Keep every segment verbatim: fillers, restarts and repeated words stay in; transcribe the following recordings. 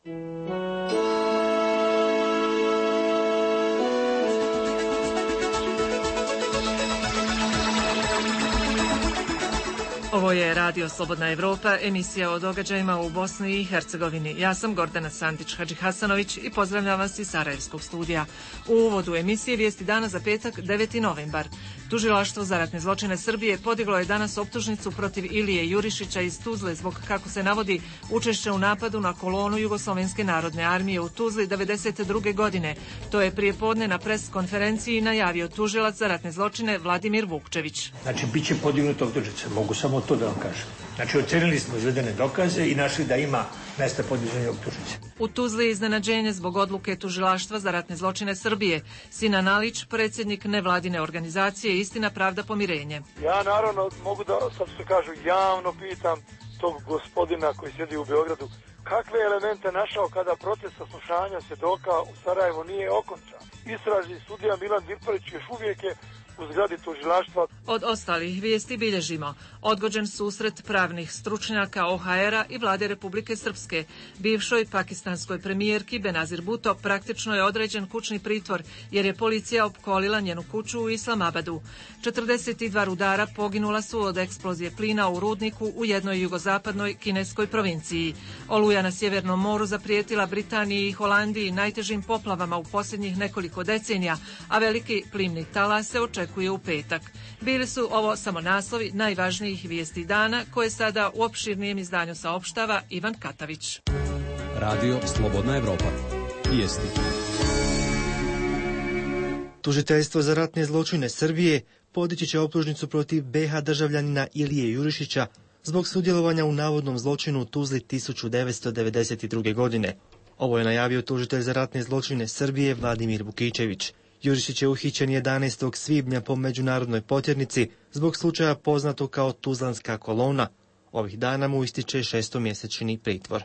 Ovo je Radio Slobodna Evropa, emisija o događajima u Bosni i Hercegovini. Ja sam Gordana Santić-Hadžihasanović i pozdravljam vas iz Sarajevskog studija. U uvodu emisije vijesti dana za petak, deveti novembar. Tužilaštvo za ratne zločine Srbije podiglo je danas optužnicu protiv Ilije Jurišića iz Tuzle zbog, kako se navodi, učešća u napadu na kolonu Jugoslovenske narodne armije u Tuzli devedeset druge godine. To je prije podne na pres konferenciji najavio tužilac za ratne zločine Vladimir Vukčević. Znači, bit će podignuta optužnica, mogu samo to da vam kažem. Znači, ocenili smo izvedene dokaze i našli da ima mesta podizanja optužnice. U Tuzli je iznenađenje zbog odluke tužilaštva za ratne zločine Srbije. Sinan Alić, predsjednik nevladine organizacije Istina, pravda, pomirenje. Ja naravno mogu da, sad se kažu, javno pitam tog gospodina koji sjedi u Beogradu, kakve elemente našao kada proces saslušanja svjedoka u Sarajevu nije okončan. Istražni sudija Milan Dirparić još uvijek je u zgradi tužilaštva. Od ostalih vijesti bilježimo odgođen susret pravnih stručnjaka O H R-a i vlade Republike Srpske. Bivšoj pakistanskoj premijerki Benazir Bhutto praktično je određen kućni pritvor jer je policija opkolila njenu kuću u Islamabadu. četrdeset dva rudara poginula su od eksplozije plina u rudniku u jednoj jugozapadnoj kineskoj provinciji. Oluja na Sjevernom moru zaprijetila Britaniji i Holandiji najtežim poplavama u posljednjih nekoliko decenija, a veliki plimni talas se očekuje u petak. Bili su ovo samo naslovi najvažnijih vijesti dana koje sada u opširnijem izdanju saopštava Ivan Katavić. Radio Slobodna Evropa. Vijesti. Tužiteljstvo za ratne zločine Srbije podići će optužnicu protiv B H državljanina Ilije Jurišića zbog sudjelovanja u navodnom zločinu u Tuzli tisuću devetsto devedeset druge. godine. Ovo je najavio tužitelj za ratne zločine Srbije Vladimir Vukičević. Jurišić je uhićen jedanaestog svibnja po međunarodnoj potjernici zbog slučaja poznatog kao Tuzlanska kolona. Ovih dana mu ističe šestomjesečni pritvor.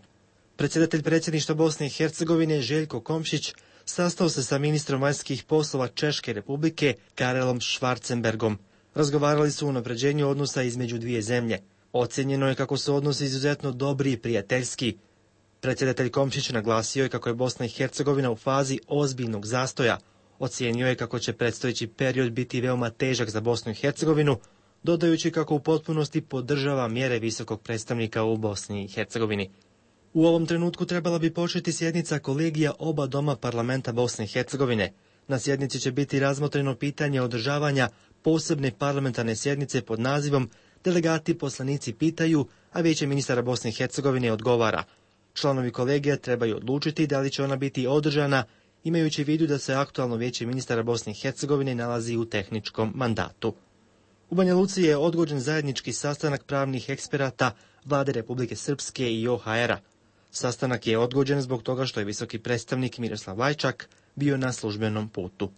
Predsjedatelj predsjedništva Bosne i Hercegovine Željko Komšić sastao se sa ministrom vanjskih poslova Češke Republike Karelom Schwarzenbergom. Razgovarali su o unapređenju odnosa između dvije zemlje. Ocjenjeno je kako su odnosi izuzetno dobri i prijateljski. Predsjedatelj Komšić naglasio je kako je Bosna i Hercegovina u fazi ozbiljnog zastoja. Ocijenio je kako će predstojeći period biti veoma težak za Bosnu i Hercegovinu, dodajući kako u potpunosti podržava mjere visokog predstavnika u Bosni i Hercegovini. U ovom trenutku trebala bi početi sjednica kolegija oba doma parlamenta Bosne i Hercegovine. Na sjednici će biti razmotreno pitanje održavanja posebne parlamentarne sjednice pod nazivom Delegati poslanici pitaju, a Vijeće ministara Bosne i Hercegovine odgovara. Članovi kolegija trebaju odlučiti da li će ona biti održana, imajući u vidu da se aktualno Vijeće ministara Bosne i Hercegovine nalazi u tehničkom mandatu. U Banja Luci je odgođen zajednički sastanak pravnih eksperata vlade Republike Srpske i O H R-a. Sastanak je odgođen zbog toga što je visoki predstavnik Miroslav Lajčak bio na službenom putu.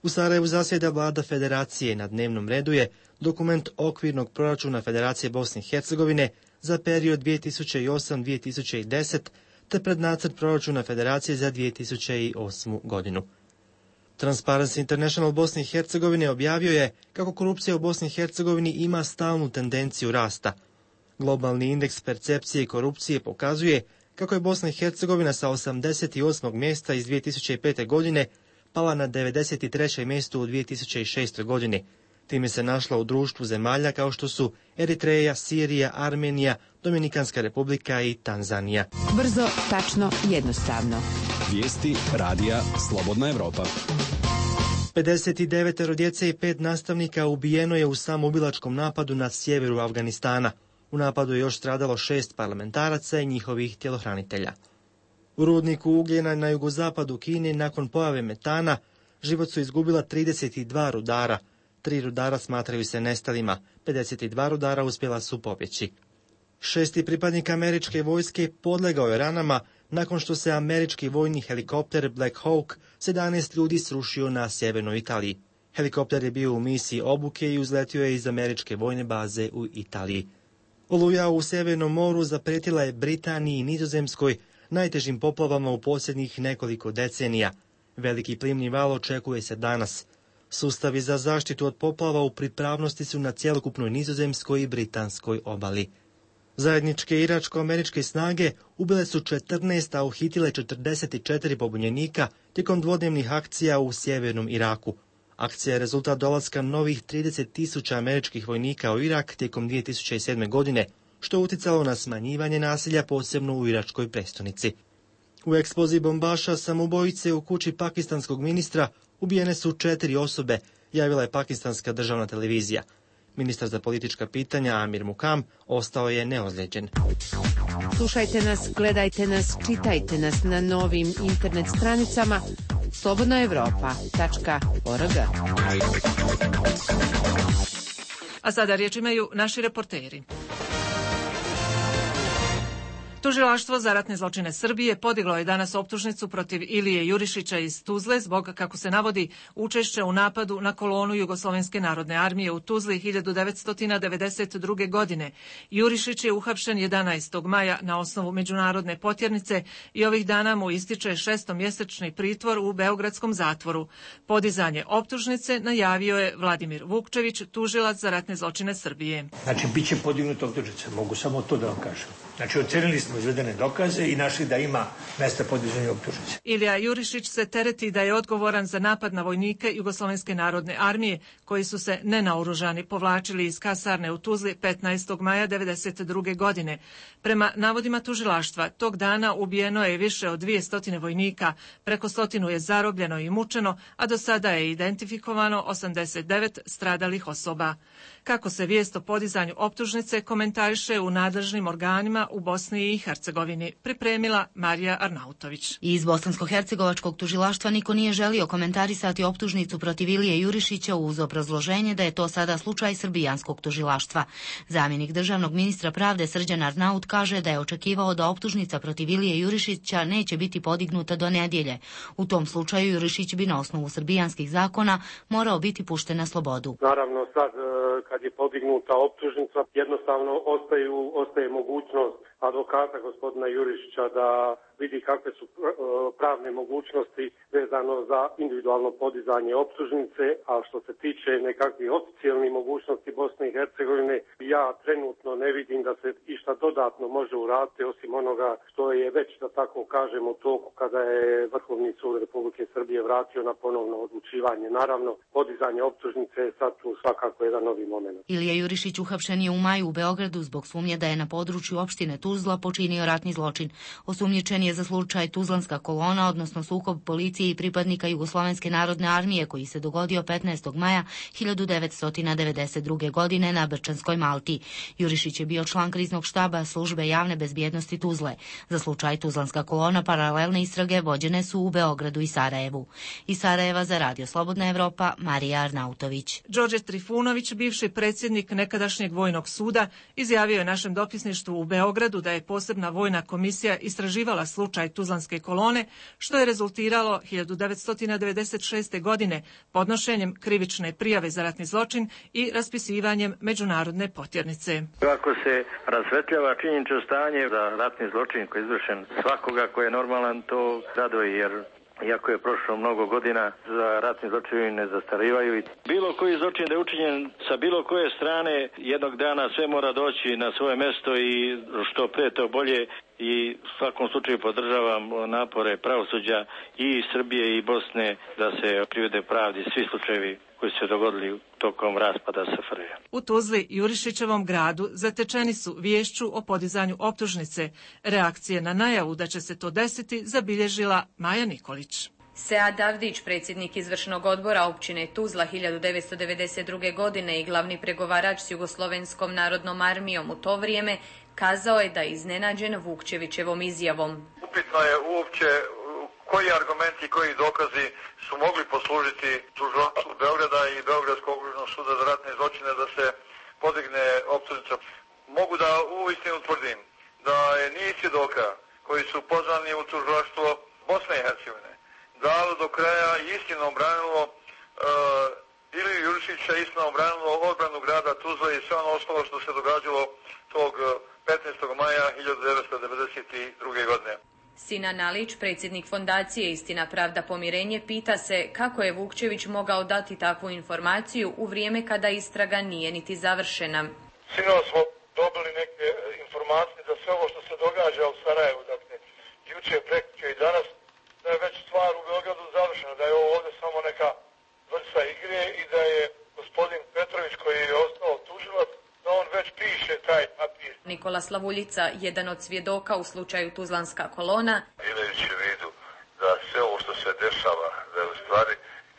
U Sarajevu zasjeda vlada federacije. Na dnevnom redu je dokument okvirnog proračuna Federacije Bosne i Hercegovine za period dvije tisuće osam do dvije tisuće deset te prednacrt proračuna Federacije za dvije tisuće osmu. godinu. Transparency International Bosne i Hercegovine objavio je kako korupcija u Bosni i Hercegovini ima stalnu tendenciju rasta. Globalni indeks percepcije korupcije pokazuje kako je Bosna i Hercegovina sa osamdeset osmog mjesta iz dvije tisuće pete. godine pala na devedeset treće mjesto u dvije tisuće šestoj. godini. Time se našla u društvu zemalja kao što su Eritreja, Sirija, Armenija, Dominikanska republika i Tanzanija. Brzo, tačno, jednostavno. Vijesti radija Slobodna Evropa. pedeset devet djece i pet nastavnika ubijeno je u samoubilačkom napadu na sjeveru Afganistana. U napadu je još stradalo šest parlamentaraca i njihovih tjelohranitelja. U rudniku ugljena na jugozapadu Kine nakon pojave metana život su izgubila trideset dva rudara. Tri rudara smatraju se nestalima, pedeset dva rudara uspjela su pobjeći. Šesti pripadnik američke vojske podlegao je ranama nakon što se američki vojni helikopter Black Hawk sedamnaest ljudi srušio na sjevernoj Italiji. Helikopter je bio u misiji obuke i uzletio je iz američke vojne baze u Italiji. Oluja u Sjevernom moru zaprijetila je Britaniji i Nizozemskoj najtežim poplavama u posljednjih nekoliko decenija. Veliki plimni val očekuje se danas. Sustavi za zaštitu od poplava u pripravnosti su na cjelokupnoj nizozemskoj i britanskoj obali. Zajedničke iračko-američke snage ubile su četrnaest, a uhitile četrdeset četiri pobunjenika tijekom dvodnevnih akcija u sjevernom Iraku. Akcija je rezultat dolaska novih trideset tisuća američkih vojnika u Irak tijekom dvije tisuće sedme. godine, što je utjecalo na smanjivanje nasilja posebno u iračkoj prestonici. U eksploziji bombaša samoubojice u kući pakistanskog ministra ubijene su četiri osobe, javila je pakistanska državna televizija. Ministar za politička pitanja Amir Muqam ostao je neozlijeđen. Slušajte nas, gledajte nas, čitajte nas na novim internet stranicama slobodna evropa tačka org. A sada riječ imaju naši reporteri. Tužilaštvo za ratne zločine Srbije podiglo je danas optužnicu protiv Ilije Jurišića iz Tuzle zbog, kako se navodi, učešća u napadu na kolonu Jugoslovenske narodne armije u Tuzli hiljadu devetsto devedeset druge. godine. Jurišić je uhapšen jedanaestog maja na osnovu međunarodne potjernice i ovih dana mu ističe šestomjesečni pritvor u beogradskom zatvoru. Podizanje optužnice najavio je Vladimir Vukčević, tužilac za ratne zločine Srbije. Znači, bit će podignuta optužnica, mogu samo to da vam kažem. Znači, ocenili smo izvedene dokaze i našli da ima mesta podizanja optužnice. Ilija Jurišić se tereti da je odgovoran za napad na vojnike Jugoslovenske narodne armije koji su se nenaoružani povlačili iz kasarne u Tuzli petnaestog maja devedeset druge. godine. Prema navodima tužilaštva, tog dana ubijeno je više od dvjesto vojnika, preko stotinu je zarobljeno i mučeno, a do sada je identifikovano osamdeset devet stradalih osoba. Kako se vijest o podizanju optužnice komentariše u nadležnim organima u Bosni i Hercegovini, pripremila Marija Arnautović. Iz bosansko-hercegovačkog tužilaštva niko nije želio komentarisati optužnicu protiv Ilije Jurišića uz obrazloženje da je to sada slučaj srbijanskog tužilaštva. Zamjenik državnog ministra pravde Srđan Arnaut kaže da je očekivao da optužnica protiv Ilije Jurišića neće biti podignuta do nedjelje. U tom slučaju Jurišić bi na osnovu srbijanskih zakona morao biti pušten na slobodu. Naravno, sad kad je podignuta optužnica, jednostavno ostaju, ostaje mogućnost advokata gospodina Jurišića da vidi kakve su pravne mogućnosti vezano za individualno podizanje optužnice, a što se tiče nekakvih oficijalnih mogućnosti Bosne i Hercegovine, ja trenutno ne vidim da se išta dodatno može uraditi osim onoga što je već, da tako kažem, u toku kada je Vrhovni sud Republike Srbije vratio na ponovno odlučivanje. Naravno, podizanje optužnice je sad tu svakako jedan novi moment. Ilija Jurišić uhapšen je u maju u Beogradu zbog sumnje da je na području opštine Tuzla počinio ratni zločin. Osumnjičen je za slučaj Tuzlanska kolona, odnosno sukob policije i pripadnika Jugoslovenske narodne armije koji se dogodio petnaestog maja hiljadu devetsto devedeset druge. godine na Brčanskoj Malti. Jurišić je bio član kriznog štaba službe javne bezbjednosti Tuzle. Za slučaj Tuzlanska kolona paralelne istrage vođene su u Beogradu i Sarajevu. Iz Sarajeva za Radio Slobodna Evropa, Marija Arnautović. Đorđe Trifunović, bivši predsjednik nekadašnjeg vojnog suda, izjavio je našem dopisništvu u Beogradu da je posebna vojna komisija istraživala slučaj Tuzlanske kolone, što je rezultiralo hiljadu devetsto devedeset šeste. godine podnošenjem krivične prijave za ratni zločin i raspisivanjem međunarodne potjernice. Kako se rasvetljava činjenično stanje za ratni zločin koji je izvršen svakoga ko je normalan, to raduje, jer iako je prošlo mnogo godina, za ratni zločini ne zastarivaju. Bilo koji zločin da je učinjen sa bilo koje strane, jednog dana sve mora doći na svoje mjesto i što pre to bolje. I u svakom slučaju podržavam napore pravosuđa i Srbije i Bosne da se privede pravdi svi slučajevi koji su se dogodili tokom raspada S F R J. U Tuzli, Jurišićevom gradu, zatečeni su viješću o podizanju optužnice. Reakcije na najavu da će se to desiti zabilježila Maja Nikolić. Sead Avdić, predsjednik izvršnog odbora općine Tuzla hiljadu devetsto devedeset druge. godine i glavni pregovarač s Jugoslovenskom narodnom armijom u to vrijeme, kazao je da je iznenađen Vukčevićevom izjavom. Upitno je uopće koji argumenti i koji dokazi su mogli poslužiti tužilaštvu Beograda i Beogradskog okružnog suda za ratne zločine da se podigne optužnica. Mogu da uistinu tvrdim da je niz svjedoka koji su pozvani u tužilaštvo Bosne i Hercegovine dalo do kraja i istinom branilo uh, Iliju Jurišića, istinom branilo odbranu grada Tuzla i sve ono ostalo što se događalo tog petnaestog maja hiljadu devetsto devedeset druge. godine. Sinan Alić, predsjednik fondacije Istina, pravda, pomirenje, pita se kako je Vukčević mogao dati takvu informaciju u vrijeme kada istraga nije niti završena. Sinoć smo dobili neke informacije događa u Sarajevu, dakle, juče, prekjuče i danas, da je već stvar u Beogradu završena, da je ovo ovdje samo neka vrsta igre i da je gospodin Petrović koji je ostao tužilac, da on već piše taj papir. Nikola Slavuljica, jedan od svjedoka u slučaju Tuzlanska kolona. Imajući u vidu da sve ovo što se dešava, da je u stvari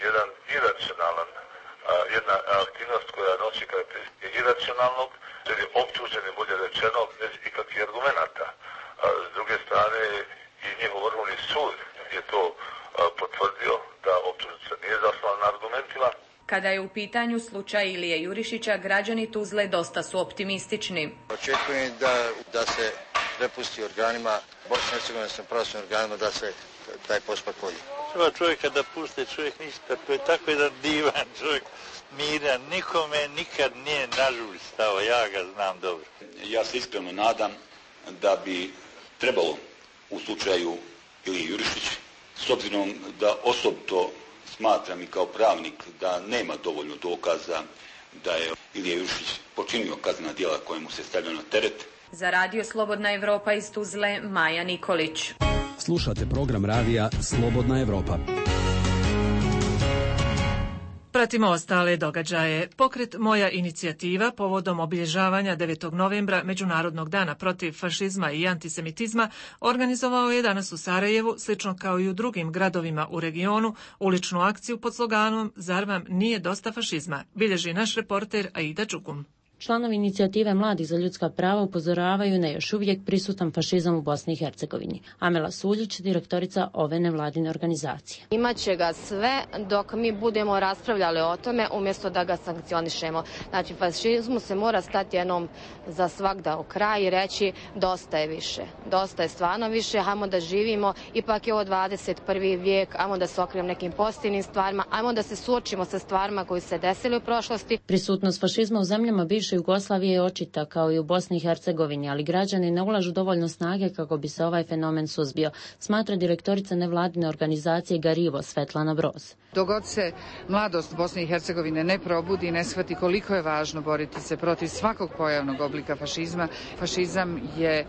jedan iracionalan, a, jedna aktivnost koja nosi karakteristike iracionalnog, jer je optužen, bolje rečeno, bez ikakvih argumenata. A, s druge strane, i njihov vrhovni sud je to a, potvrdio da optužnica nije zasnovana na argumentima. Kada je u pitanju slučaj Ilije Jurišića, građani Tuzle dosta su optimistični. Očekujem da, da se prepusti organima, Bosne i Hercegovine sa pravosudnim organima, da se taj postupak vodi. Treba čovjeka da puste, čovjek ništa, to je tako jedan divan čovjek, miran, nikome nikad nije nažuž stao, ja ga znam dobro. Ja se iskreno nadam da bi trebalo u slučaju Ilije Jurišić, s obzirom da osobito smatram i kao pravnik da nema dovoljno dokaza da je Ilija Jurišić počinio kaznena djela koje mu se stavljaju na teret. Za Radio Slobodna Evropa iz Tuzle, Maja Nikolić. Slušate program radija Slobodna Evropa. Pratimo ostale događaje. Pokret Moja inicijativa povodom obilježavanja devetog novembra Međunarodnog dana protiv fašizma i antisemitizma organizovao je danas u Sarajevu, slično kao i u drugim gradovima u regionu, uličnu akciju pod sloganom Zar vam nije dosta fašizma, bilježi naš reporter Aida Đugum. Članovi inicijative Mladih za ljudska prava upozoravaju na još uvijek prisutan fašizam u Bosni i Hercegovini. Amela Suljić, direktorica ove nevladine organizacije. Imaće ga sve dok mi budemo raspravljali o tome umjesto da ga sankcionišemo. Znači, fašizmu se mora stati jednom za svagda u kraj i reći dosta je više. Dosta je stvarno više, hajmo da živimo, ipak je ovo dvadeset prvi vijek, hajmo da se okrenemo nekim pozitivnim stvarima, hajmo da se suočimo sa stvarima koji se desili u prošlosti. Prisutnost fašizma u zemljama bivše Jugoslavije je očita kao i u Bosni i Hercegovini, ali građani ne ulažu dovoljno snage kako bi se ovaj fenomen suzbio, smatra direktorica nevladine organizacije Garivo Svetlana Broz. Dogod se mladost Bosne i Hercegovine ne probudi i ne shvati koliko je važno boriti se protiv svakog pojavnog oblika fašizma, fašizam je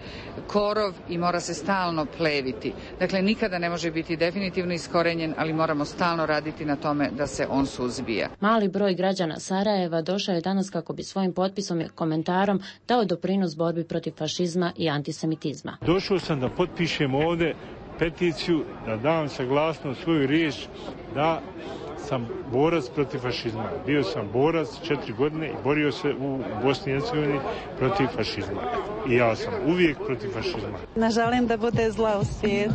korov i mora se stalno pleviti. Dakle, nikada ne može biti definitivno iskorenjen, ali moramo stalno raditi na tome da se on suzbija. Mali broj građana Sarajeva došao je danas kako bi svojim potpisom i komentarom dao doprinos borbi protiv fašizma i antisemitizma. Došao sam da potpišem ovdje peticiju, da dam saglasnost svoju riječ da sam borac protiv fašizma. Bio sam borac četiri godine i borio se u Bosni i Hercegovini protiv fašizma. I ja sam uvijek protiv fašizma. Ne želim da bude zla u svijetu,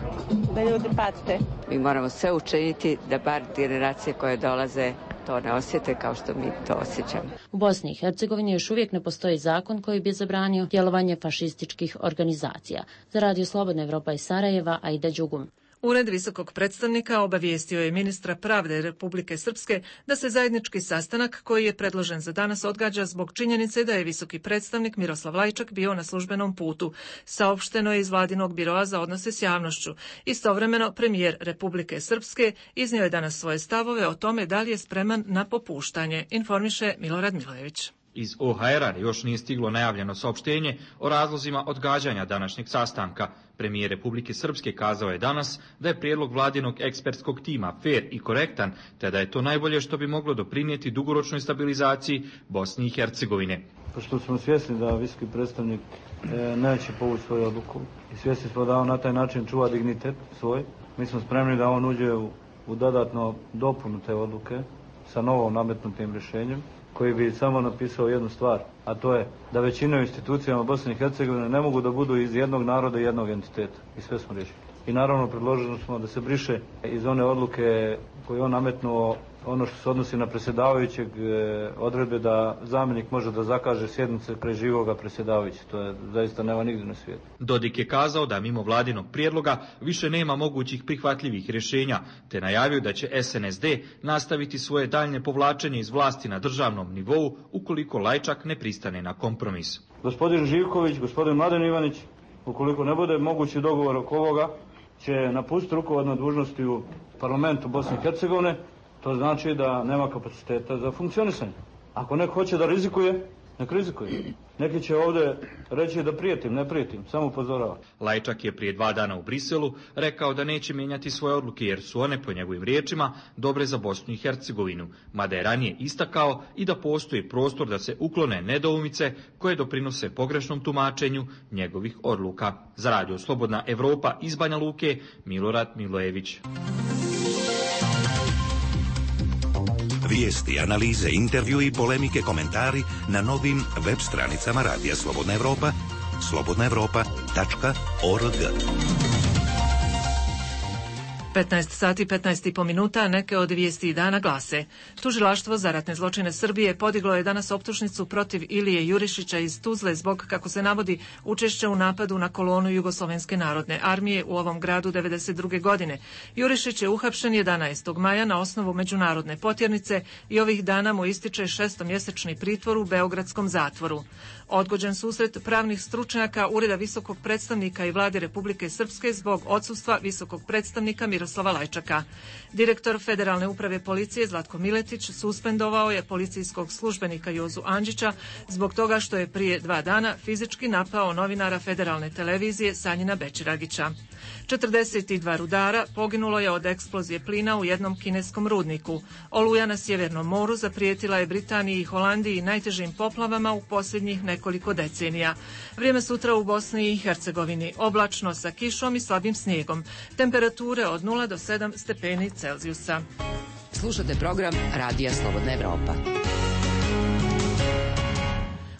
da ljudi pate. Mi moramo sve učiniti da bar generacije koje dolaze to ne osjete kao što mi to osjećamo. U Bosni i Hercegovini još uvijek ne postoji zakon koji bi zabranio djelovanje fašističkih organizacija. Za Radio Slobodna Evropa iz Sarajeva, Aida Đugum. Ured visokog predstavnika obavijestio je ministra pravde Republike Srpske da se zajednički sastanak koji je predložen za danas odgađa zbog činjenice da je visoki predstavnik Miroslav Lajčak bio na službenom putu. Saopšteno je iz vladinog biroa za odnose s javnošću. Istovremeno premijer Republike Srpske iznio je danas svoje stavove o tome da li je spreman na popuštanje, informiše Milorad Milojević. Iz O H R-a još nije stiglo najavljeno saopštenje o razlozima odgađanja današnjeg sastanka. Premijer Republike Srpske kazao je danas da je prijedlog vladinog ekspertskog tima fer i korektan, te da je to najbolje što bi moglo doprinijeti dugoročnoj stabilizaciji Bosne i Hercegovine. Pošto smo svjesni da visoki predstavnik e, neće povući svoju odluku i svjesni smo da on na taj način čuva dignitet svoj, mi smo spremni da on uđe u, u dodatno dopunu te odluke sa novom nametnutim rješenjem, koji bi samo napisao jednu stvar, a to je da većina institucijama Bosne i Hercegovine ne mogu da budu iz jednog naroda i jednog entiteta. I sve smo riješili. I naravno predložili smo da se briše iz one odluke koju on nametnuo ono što se odnosi na predsjedavajućeg odredbe da zamjenik može da zakaže sjednice kraj živoga predsjedavajuća. To je zaista nema nigdje na svijetu. Dodik je kazao da mimo vladinog prijedloga više nema mogućih prihvatljivih rješenja, te najavio da će S N S D nastaviti svoje daljnje povlačenje iz vlasti na državnom nivou ukoliko Lajčak ne pristane na kompromis. Gospodin Živković, gospodin Mladen Ivanić, ukoliko ne bude mogući dogovor oko ovoga, će napustiti rukovodne dužnosti u parlamentu Bosne i Hercegovine. To znači da nema kapaciteta za funkcionisanje. Ako neko hoće da rizikuje, nek rizikuje. Neki će ovdje reći da prijetim, ne prijetim, samo upozoravam. Lajčak je prije dva dana u Briselu rekao da neće mijenjati svoje odluke jer su one, po njegovim riječima, dobre za Bosnu i Hercegovinu, mada je ranije istakao i da postoji prostor da se uklone nedoumice koje doprinose pogrešnom tumačenju njegovih odluka. Za radio Slobodna Evropa iz Banja Luke, Milorad Milojević. Vijesti, analize, intervju i polemike, komentari na novim web stranicama Radija Slobodna Evropa, slobodna evropa tačka org. petnaest sati petnaest i po minuta, neke od vijesti dana glase. Tužilaštvo za ratne zločine Srbije podiglo je danas optužnicu protiv Ilije Jurišića iz Tuzle zbog, kako se navodi, učešća u napadu na kolonu Jugoslovenske narodne armije u ovom gradu devedeset druge godine. Jurišić je uhapšen jedanaestog maja na osnovu međunarodne potjernice i ovih dana mu ističe šestomjesečni pritvor u beogradskom zatvoru. Odgođen susret pravnih stručnjaka Ureda visokog predstavnika i Vlade Republike Srpske zbog odsustva visokog predstavnika Miroslava Lajčaka. Direktor Federalne uprave policije Zlatko Miletić suspendovao je policijskog službenika Jozu Andžića zbog toga što je prije dva dana fizički napao novinara Federalne televizije Sanjina Bećiragića. četrdeset dva rudara poginulo je od eksplozije plina u jednom kineskom rudniku. Oluja na Sjevernom moru zaprijetila je Britaniji i Holandiji najtežim poplavama u posljednjih nekoliko decenija. Vrijeme sutra u Bosni i Hercegovini oblačno sa kišom i slabim snijegom. Temperature od nula do sedam stepeni Celzijusa. Slušate program Radija Slobodna Evropa.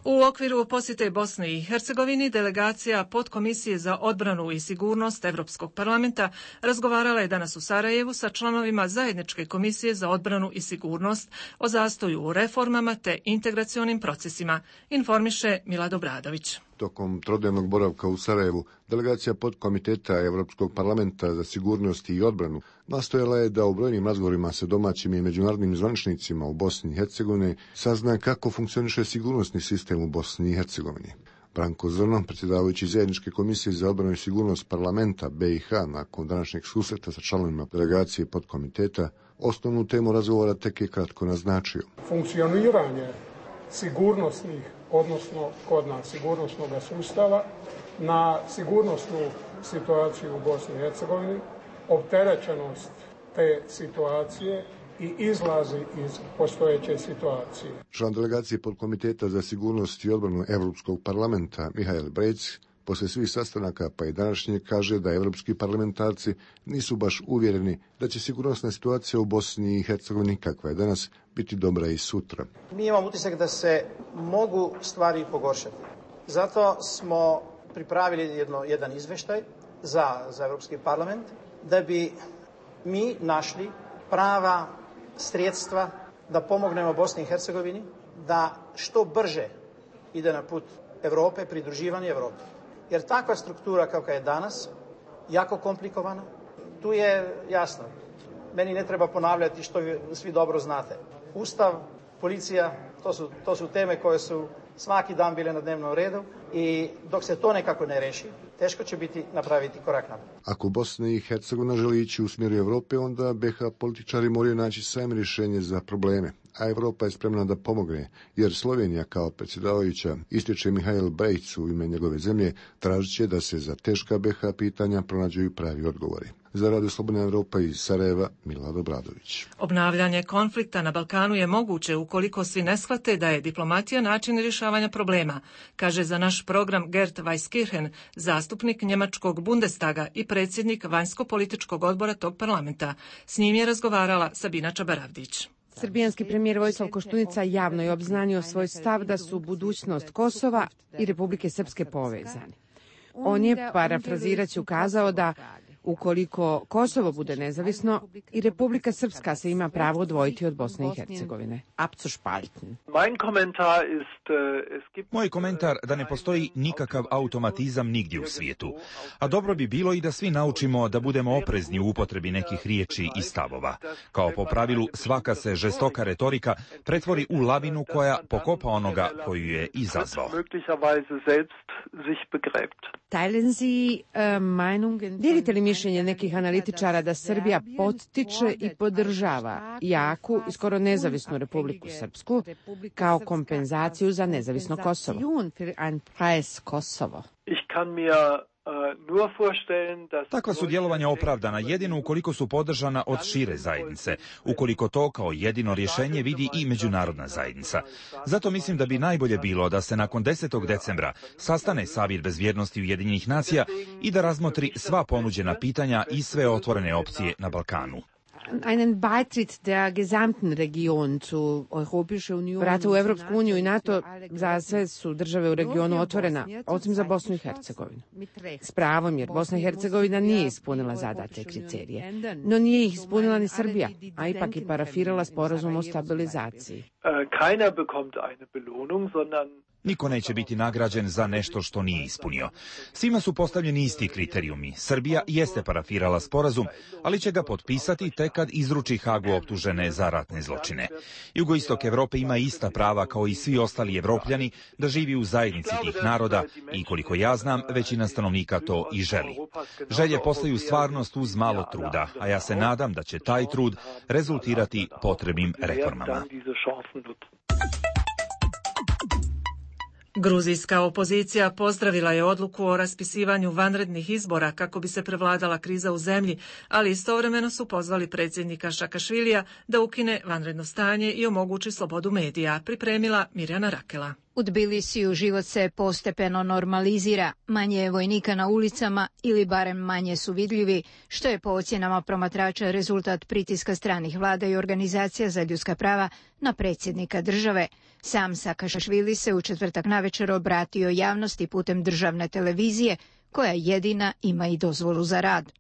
U okviru posjete Bosni i Hercegovini delegacija Podkomisije za odbranu i sigurnost Evropskog parlamenta razgovarala je danas u Sarajevu sa članovima Zajedničke komisije za odbranu i sigurnost o zastoju u reformama te integracionim procesima, informiše Milad Obradović. Tokom trodnevnog boravka u Sarajevu, delegacija Podkomiteta Evropskog parlamenta za sigurnost i odbranu nastojala je da u brojnim razgovorima sa domaćim i međunarodnim zvaničnicima u Bosni i Hercegovini sazna kako funkcioniše sigurnosni sistem u Bosni i Hercegovini. Branko Zrno, predsjedavajući Zajedničke komisije za odbranu i sigurnost parlamenta B i H, nakon današnjeg susreta sa članovima delegacije Podkomiteta, osnovnu temu razgovora tek je kratko naznačio. Funkcioniranje sigurnosnih, odnosno kod nas sigurnosnog sustava, na sigurnosnu situaciju u Bosni i Hercegovini, opterećenost te situacije i izlazi iz postojeće situacije. Član delegacije Podkomiteta za sigurnost i odbranu Evropskog parlamenta Mihael Brejc poslije svih sastanaka pa i današnje kaže da evropski parlamentarci nisu baš uvjereni da će sigurnosna situacija u Bosni i Hercegovini kakva je danas biti dobra i sutra. Mi imamo utisak da se mogu stvari pogoršati. Zato smo pripravili jedno, jedan izveštaj za, za Evropski parlament da bi mi našli prava sredstva da pomognemo Bosni i Hercegovini da što brže ide na put Evrope, pridruživanje Evropi. Jer takva struktura kakva je danas, jako komplikovana, tu je jasno. Meni ne treba ponavljati što svi dobro znate. Ustav, policija, to su, to su teme koje su svaki dan bile na dnevnom redu i dok se to nekako ne reši, teško će biti napraviti korak naprijed. Ako Bosna i Hercegovina želi ići u smjeru Evrope, onda B H političari moraju naći sami rješenje za probleme, a Evropa je spremna da pomogne, jer Slovenija kao predsjedavajuća, ističe Mihael Brejc u ime njegove zemlje, tražit će da se za teška B H pitanja pronađu pravi odgovori. Za Radio Slobodna Evropa iz Sarajeva, Milad Obradović. Obnavljanje konflikta na Balkanu je moguće ukoliko svi ne shvate da je diplomatija način rješavanja problema, kaže za naš program Gert Weiskirchen, zastupnik njemačkog Bundestaga i predsjednik vanjsko-političkog odbora tog parlamenta. S njim je razgovarala Sabina Čabaravdić. Srbijanski premijer Vojislav Koštunica javno je obznanio svoj stav da su budućnost Kosova i Republike Srpske povezani. On je, parafrazirajući, ukazao da ukoliko Kosovo bude nezavisno, i Republika Srpska se ima pravo odvojiti od Bosne i Hercegovine. Abzuspalten. Moj komentar da ne postoji nikakav automatizam nigdje u svijetu, a dobro bi bilo i da svi naučimo da budemo oprezni u upotrebi nekih riječi i stavova. Kao po pravilu, svaka se žestoka retorika pretvori u lavinu koja pokopa onoga koju je izazvao. Dijelite li mišljenje nekih analitičara da Srbija pottiče i podržava jaku i skoro nezavisnu Republiku Srpsku kao kompenzaciju za nezavisno Kosovo. Takva su djelovanja opravdana jedino ukoliko su podržana od šire zajednice, ukoliko to kao jedino rješenje vidi i međunarodna zajednica. Zato mislim da bi najbolje bilo da se nakon desetog decembra sastane Savjet bezbjednosti Ujedinjenih nacija i da razmotri sva ponuđena pitanja i sve otvorene opcije na Balkanu. Einen Beitritt der gesamten Region zu Europäische Union. Vrata u Evropsku uniju i NATO za sve su države u regionu otvorena, osim za Bosnu i Hercegovinu. S pravom, jer Bosna i Hercegovina nije ispunila zadate kriterije, no nije ih ispunila ni Srbija, a ipak i parafirala sporazum o stabilizaciji. Keiner bekommt eine Belohnung, sondern Niko neće biti nagrađen za nešto što nije ispunio. Svima su postavljeni isti kriterijumi. Srbija jeste parafirala sporazum, ali će ga potpisati tek kad izruči Hagu optužene za ratne zločine. Jugoistok Evrope ima ista prava kao i svi ostali Evropljani da živi u zajednici tih naroda i koliko ja znam, većina stanovnika to i želi. Želje postaju stvarnost uz malo truda, a ja se nadam da će taj trud rezultirati potrebnim reformama. Gruzijska opozicija pozdravila je odluku o raspisivanju vanrednih izbora kako bi se prevladala kriza u zemlji, ali istovremeno su pozvali predsjednika Šakašvilija da ukine vanredno stanje i omogući slobodu medija, pripremila Mirjana Rakela. U Tbilisiju život se postepeno normalizira, manje je vojnika na ulicama ili barem manje su vidljivi, što je po ocjenama promatrača rezultat pritiska stranih vlada i organizacija za ljudska prava na predsjednika države. Sam Sakašvili se u četvrtak navečer obratio javnosti putem državne televizije, koja jedina ima i dozvolu za rad.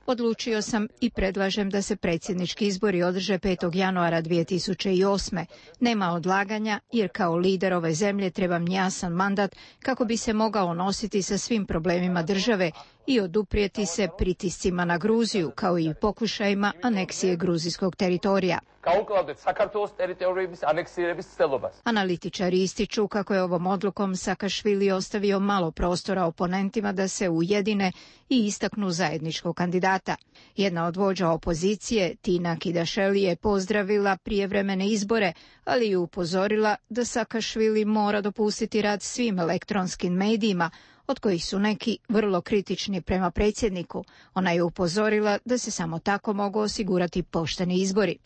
Odlučio sam i predlažem da se predsjednički izbori održe petog januara dvije tisuće osme. Nema odlaganja jer kao lider ove zemlje trebam jasan mandat kako bi se mogao nositi sa svim problemima države i oduprijeti se pritiscima na Gruziju kao i pokušajima aneksije gruzijskog teritorija. Analitičari ističu kako je ovom odlukom Sakašvili ostavio malo prostora oponentima da se ujedine i istaknu zajedničkog kandidata. Jedna od vođa opozicije, Tina Kidašeli, je pozdravila prijevremene izbore, ali je upozorila da Sakašvili mora dopustiti rad svim elektronskim medijima, od kojih su neki vrlo kritični prema predsjedniku. Ona je upozorila da se samo tako mogu osigurati pošteni izbori.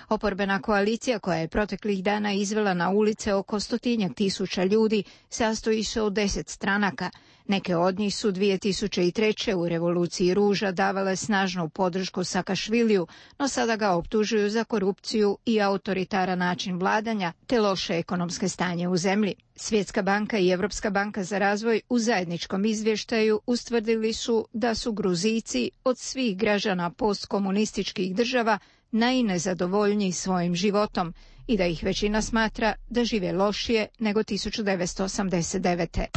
Oporbena koalicija, koja je proteklih dana izvela na ulice oko stotinjak tisuća ljudi, sastoji se od deset stranaka. Neke od njih su dvije tisuće treće u revoluciji ruža davale snažnu podršku Sakašviliju, no sada ga optužuju za korupciju i autoritaran način vladanja te loše ekonomske stanje u zemlji. Svjetska banka i Europska banka za razvoj u zajedničkom izvještaju ustvrdili su da su Gruzijci od svih građana postkomunističkih država najnezadovoljniji svojim životom i da ih većina smatra da žive lošije nego tisuću devetsto osamdeset devete.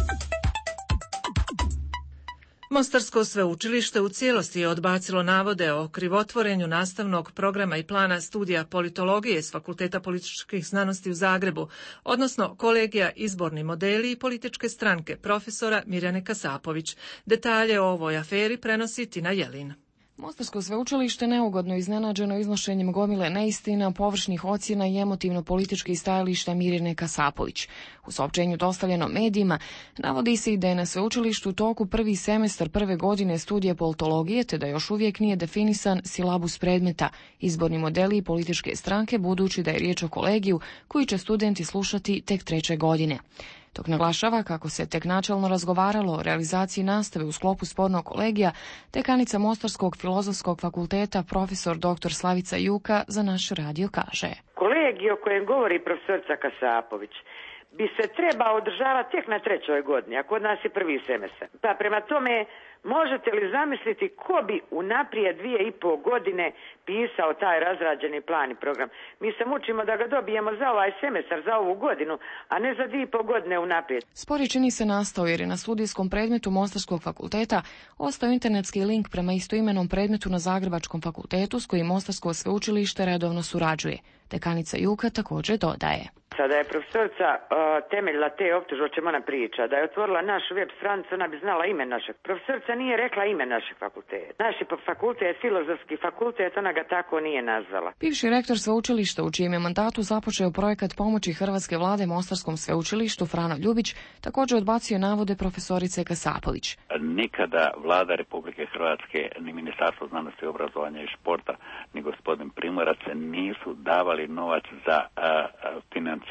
Mostarsko sveučilište u cijelosti je odbacilo navode o krivotvorenju nastavnog programa i plana studija politologije s Fakulteta političkih znanosti u Zagrebu, odnosno kolegija izborni modeli i političke stranke profesora Mirjane Kasapović. Detalje o ovoj aferi prenosi Tina Jelin. Mostarsko sveučilište neugodno iznenađeno iznošenjem gomile neistina, površnih ocjena i emotivno-političkih stajališta Mirjane Kasapović. U saopćenju dostavljeno medijima navodi se i da je na sveučilištu u toku prvi semestar prve godine studije politologije, te da još uvijek nije definisan silabus predmeta, izborni modeli i političke stranke, budući da je riječ o kolegiju koji će studenti slušati tek treće godine. Dok naglašava kako se tek načelno razgovaralo o realizaciji nastave u sklopu spornog kolegija, dekanica Mostarskog filozofskog fakulteta profesor doktor Slavica Juka za naš radio kaže: Kolegij o kojem govori profesorica Kasapović bi se trebao održavati tek na trećoj godini, a kod nas je prvi semestar. Pa prema tome, možete li zamisliti ko bi unaprijed dvije i pol godine pisao taj razrađeni plan i program? Mi se mučimo da ga dobijemo za ovaj semestar, za ovu godinu, a ne za dvije i pol godine unaprijed. Spor je čini se nastao jer je na studijskom predmetu Mostarskog fakulteta ostao internetski link prema istoimenom predmetu na Zagrebačkom fakultetu s kojim Mostarsko sveučilište redovno surađuje. Dekanica Juka također dodaje. Da je profesorica uh, temeljila te optužbe, o čemu ona priča, da je otvorila našu web stranicu, ona bi znala ime našeg. Profesorica nije rekla ime našeg fakulteta. Naši fakultet, filozofski fakultet, ona ga tako nije nazvala. Bivši rektor sveučilišta u čijem je mandatu započeo projekat pomoći hrvatske vlade Mostarskom sveučilištu Frano Ljubić također odbacio navode profesorice Kasapović. Nikada vlada Republike Hrvatske, ni Ministarstvo znanosti, obrazovanja i športa, ni gospodin Primorac nisu davali novac za uh, financiranje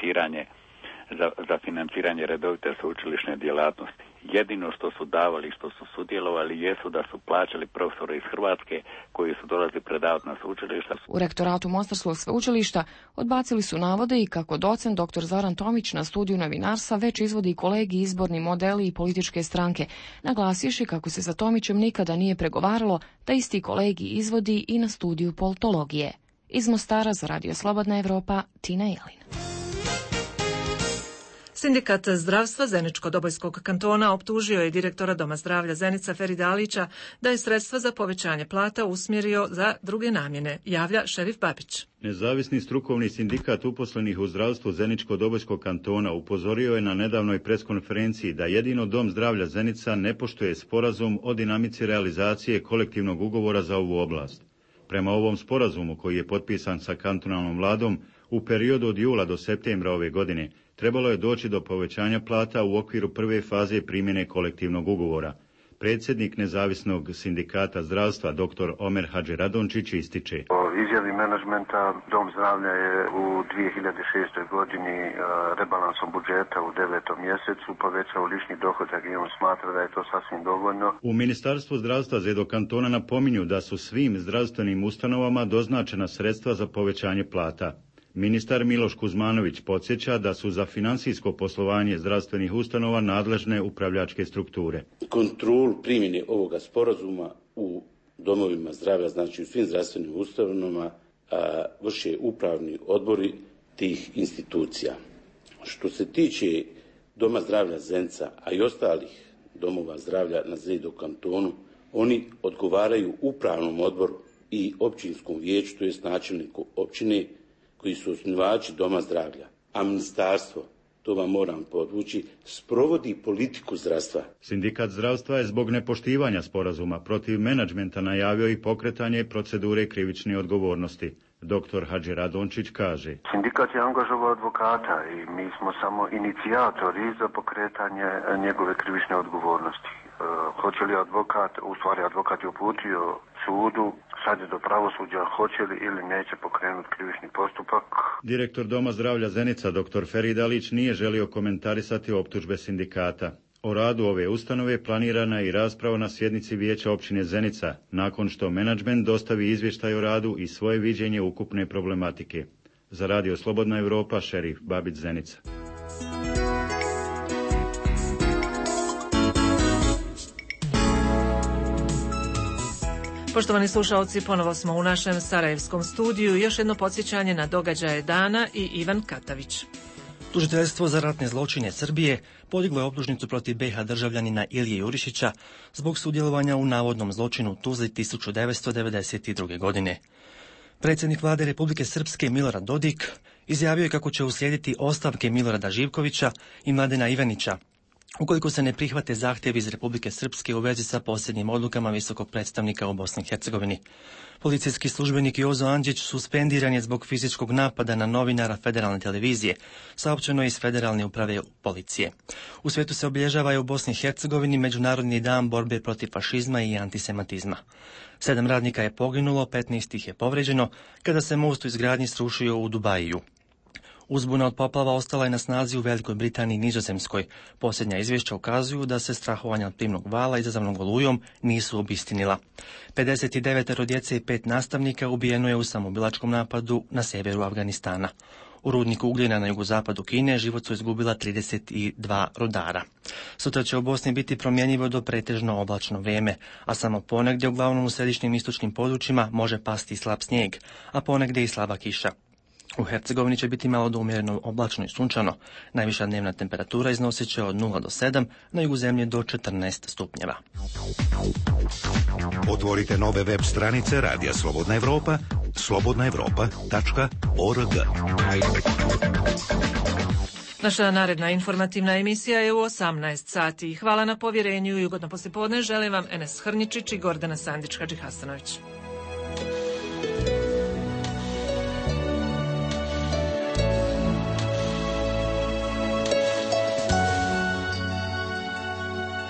Za, za financiranje redovite sveučilišne djelatnosti. Jedino što su davali, što su sudjelovali, jesu da su plaćali profesore iz Hrvatske koji su dolazili predavati na sveučilišta. U rektoratu Mostarskog sveučilišta odbacili su navode i kako docent doktor Zoran Tomić na studiju novinarstva već izvodi kolegi izborni modeli i političke stranke, naglasivši kako se sa Tomićem nikada nije pregovaralo da isti kolegi izvodi i na studiju politologije. Iz Mostara za Radio Slobodna Evropa, Tina Jelin. Sindikat zdravstva Zeničko-Dobojskog kantona optužio je direktora Doma zdravlja Zenica Ferida Alića da je sredstva za povećanje plata usmjerio za druge namjene, javlja Šerif Babić. Nezavisni strukovni sindikat uposlenih u zdravstvu Zeničko-Dobojskog kantona upozorio je na nedavnoj preskonferenciji da jedino Dom zdravlja Zenica ne poštuje sporazum o dinamici realizacije kolektivnog ugovora za ovu oblast. Prema ovom sporazumu koji je potpisan sa kantonalnom vladom, u periodu od jula do septembra ove godine trebalo je doći do povećanja plata u okviru prve faze primjene kolektivnog ugovora. Predsjednik nezavisnog sindikata zdravstva dr. Omer Hadžiradončić ističe. Po izjavi menadžmenta Dom zdravlja je u dvije hiljade šestoj godini rebalansom budžeta u devetom mjesecu povećao lični dohodak i on smatra da je to sasvim dovoljno. U Ministarstvu zdravstva Zedo kantona napominju da su svim zdravstvenim ustanovama doznačena sredstva za povećanje plata. Ministar Miloš Kuzmanović podsjeća da su za financijsko poslovanje zdravstvenih ustanova nadležne upravljačke strukture. Kontrolu primjene ovoga sporazuma u domovima zdravlja, znači u svim zdravstvenim ustanovama, vrše upravni odbori tih institucija. Što se tiče Doma zdravlja Zenica, a i ostalih domova zdravlja na Zedo kantonu, oni odgovaraju upravnom odboru i općinskom vijeću, to jest načelniku općine, koji su osnivači Doma zdravlja, a ministarstvo, to vam moram podvući, sprovodi politiku zdravstva. Sindikat zdravstva je zbog nepoštivanja sporazuma protiv menadžmenta najavio i pokretanje procedure krivične odgovornosti. Doktor Hadžiradončić kaže. Sindikat je angažovao advokata i mi smo samo inicijatori za pokretanje njegove krivične odgovornosti. E, hoće li advokat, u stvari advokat je uputio sudu, sad je do pravosuđa, hoće li ili neće pokrenuti krivični postupak. Direktor Doma zdravlja Zenica, dr. Ferid Alić, nije želio komentarisati optužbe sindikata. O radu ove ustanove planirana je i rasprava na sjednici Vijeća općine Zenica, nakon što menadžment dostavi izvještaj o radu i svoje viđenje ukupne problematike. Za Radio Slobodna Evropa, Šerif Babić, Zenica. Poštovani slušalci, ponovo smo u našem sarajevskom studiju. Još jedno podsjećanje na događaje dana i Ivan Katavić. Tužiteljstvo za ratne zločine Srbije podiglo je optužnicu protiv be ha državljanina Ilije Jurišića zbog sudjelovanja u navodnom zločinu u Tuzli tisuću devetsto devedeset druge. godine. Predsjednik vlade Republike Srpske Milorad Dodik izjavio je kako će uslijediti ostavke Milorada Živkovića i Mladena Ivanića ukoliko se ne prihvate zahtjevi iz Republike Srpske u vezi sa posljednjim odlukama visokog predstavnika u Bosni i Hercegovini. Policijski službenik Jozo Andžić suspendiran je zbog fizičkog napada na novinara Federalne televizije, saopćeno je iz Federalne uprave policije. U svijetu se obilježava i u Bosni i Hercegovini Međunarodni dan borbe protiv fašizma i antisemitizma. Sedam radnika je poginulo, petnaest ih je povređeno kada se most u izgradnji srušio u Dubajiju. Uzbuna od poplava ostala je na snazi u Velikoj Britaniji i Nizozemskoj. Posljednja izvješća ukazuju da se strahovanja od plimnog vala izazvanog olujom nisu obistinila. pedeset devet djece i pet nastavnika ubijeno je u samoubilačkom napadu na severu Afganistana. U rudniku ugljena na jugozapadu Kine život su izgubila trideset dva rudara. Sutra će u Bosni biti promjenjivo do pretežno oblačno vrijeme, a samo ponegdje, uglavnom u središnjim istočnim područjima, može pasti slab snijeg, a ponegdje i slaba kiša. U Hercegovini će biti malo do umjereno oblačno i sunčano. Najviša dnevna temperatura iznosit će od nula do sedam, na jugu zemlje do četrnaest stupnjeva. Otvorite nove web stranice Radija Slobodna Evropa slobodna evropa tačka org. Naša naredna informativna emisija je u osamnaest sati. Hvala na povjerenju i ugodno poslijepodne želim vam Enes Hrničić i Gordana Sandić-Hadžihasanović.